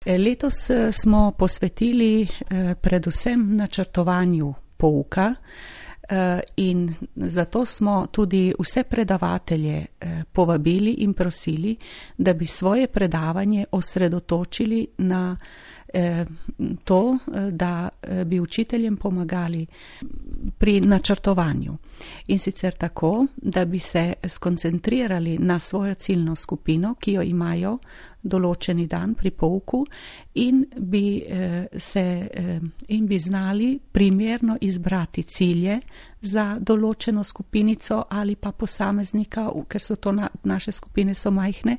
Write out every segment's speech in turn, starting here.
Letos smo posvetili predvsem načrtovanju pouka in zato smo tudi vse predavatelje povabili in prosili, da bi svoje predavanje osredotočili na to, da bi učiteljem pomagali pri načrtovanju. In sicer tako, da bi se skoncentrirali na svojo ciljno skupino, ki jo imajo določeni dan pri pouku in bi znali primerno izbrati cilje za določeno skupinico ali pa posameznika, ker so to naše skupine so majhne,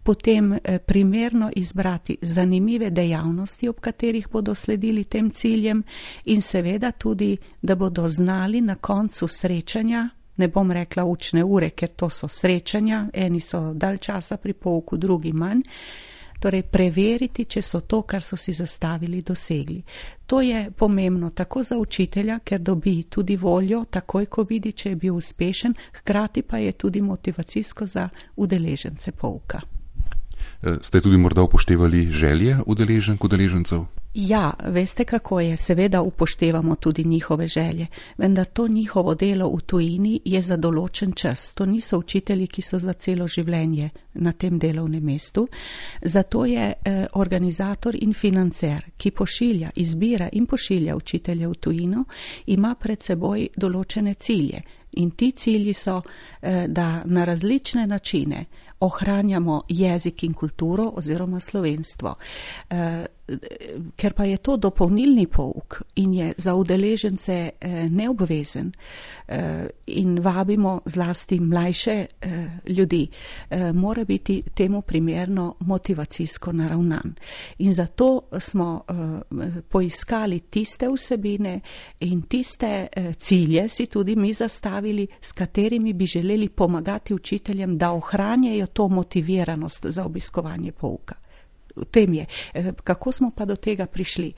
potem primerno izbrati zanimive dejavnosti, ob katerih bodo sledili tem ciljem in seveda tudi, da bodo znali na koncu srečanja, ne bom rekla učne ure, ker to so srečanja, eni so dalj časa pri pouku, drugi manj, torej preveriti, če so to, kar so si zastavili, dosegli. To je pomembno tako za učitelja, ker dobi tudi voljo, takoj ko vidi, če je bil uspešen, hkrati pa je tudi motivacijsko za udeležence pouka. Ste tudi morda upoštevali želje udeležencev? Ja, veste kako je, seveda upoštevamo tudi njihove želje, vendar to njihovo delo v tujini je za določen čas. To niso učitelji, ki so za celo življenje na tem delovnem mestu. Zato je organizator in financer, ki izbira in pošilja učitelje v tujino, ima pred seboj določene cilje. In ti cilji so, da na različne načine ohranjamo jezik in kulturo oziroma slovenstvo. Ker pa je to dopolnilni pouk in je za udeležence neobvezen in vabimo zlasti mlajše ljudi, mora biti temu primerno motivacijsko naravnan. In zato smo poiskali tiste vsebine in tiste cilje si tudi mi zastavili, s katerimi bi želeli pomagati učiteljem, da ohranjajo to motiviranost za obiskovanje pouka. V tem je. Kako smo pa do tega prišli?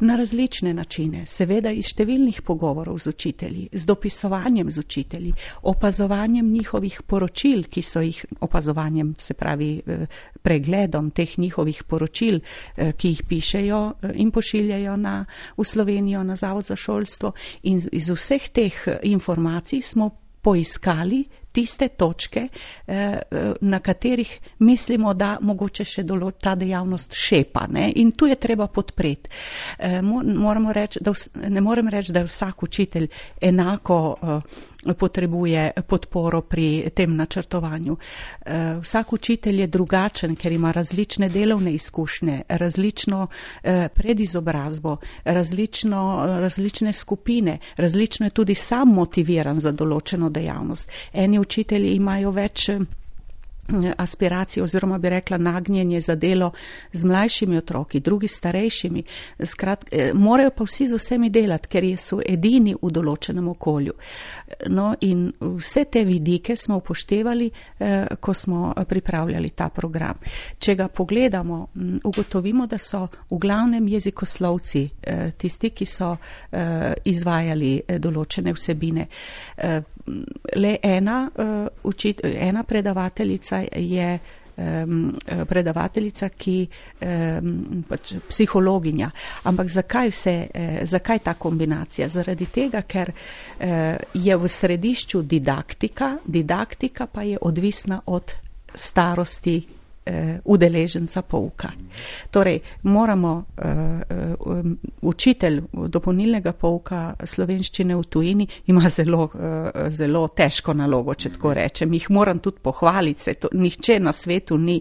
Na različne načine, seveda iz številnih pogovorov z učitelji, z dopisovanjem z učitelji, opazovanjem njihovih poročil, ki so jih opazovanjem, se pravi pregledom teh njihovih poročil, ki jih pišejo in pošiljajo v Slovenijo na Zavod za šolstvo, in iz vseh teh informacij smo poiskali tiste točke, na katerih mislimo, da mogoče še ta dejavnost šepa, ne? In tu je treba podpreti. Ne morem reči, da vsak učitelj enako potrebuje podporo pri tem načrtovanju. Vsak učitelj je drugačen, ker ima različne delovne izkušnje, različno predizobrazbo, različne skupine, različno je tudi sam motiviran za določeno dejavnost. Eni učitelji imajo več aspiracij oziroma bi rekla nagnjenje za delo z mlajšimi otroki, drugi starejšimi. Morajo pa vsi z vsemi delati, ker so edini v določenem okolju. No, in vse te vidike smo upoštevali, ko smo pripravljali ta program. Če ga pogledamo, ugotovimo, da so v glavnem jezikoslovci tisti, ki so izvajali določene vsebine. Le ena predavateljica je predavateljica, ki psihologinja. Ampak zakaj ta kombinacija? Zaradi tega, ker je v središču didaktika pa je odvisna od starosti udeleženca pouka. Torej, moramo učitelj dopolnilnega pouka slovenščine v tujini ima zelo težko nalogo, če tako rečem. Jih moram tudi pohvaliti, nihče na svetu ne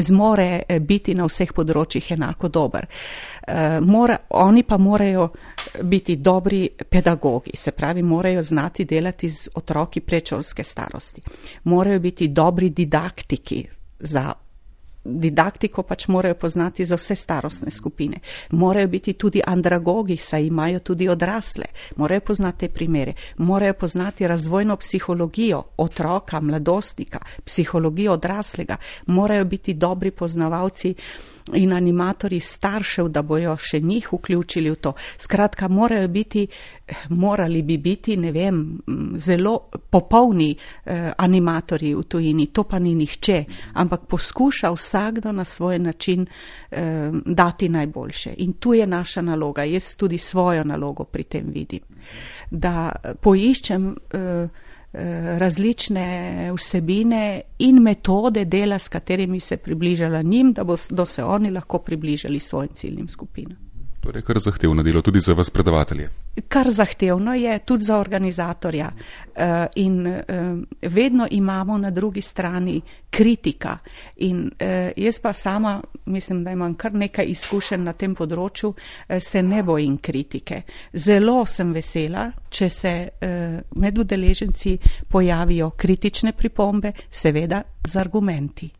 zmore biti na vseh področjih enako dober. Oni pa morajo biti dobri pedagogi, se pravi, morajo znati delati z otroki predšolske starosti. Morajo biti dobri didaktiki, za didaktiko pač morajo poznati za vse starostne skupine. Morajo biti tudi andragogi, saj imajo tudi odrasle. Morajo poznati te primere. Morajo poznati razvojno psihologijo otroka, mladostnika, psihologijo odraslega. Morajo biti dobri poznavalci in animatorji staršev, da bojo še njih vključili v to. Skratka, morali bi biti, ne vem, zelo popolni animatorji v tujini. To pa ni nihče, ampak poskuša vse vsakdo na svoj način dati najboljše. In tu je naša naloga. Jaz tudi svojo nalogo pri tem vidim. Da poiščem različne vsebine in metode dela, s katerimi se približala njim, da bodo se oni lahko približali svojim ciljnim skupinam. Torej, kar zahtevno delo tudi za vas predavatelje. Kar zahtevno je tudi za organizatorja. In vedno imamo na drugi strani kritika. In jaz pa sama, mislim, da imam kar nekaj izkušenj na tem področju, se ne bojim kritike. Zelo sem vesela, če se med udeleženci pojavijo kritične pripombe, seveda z argumenti.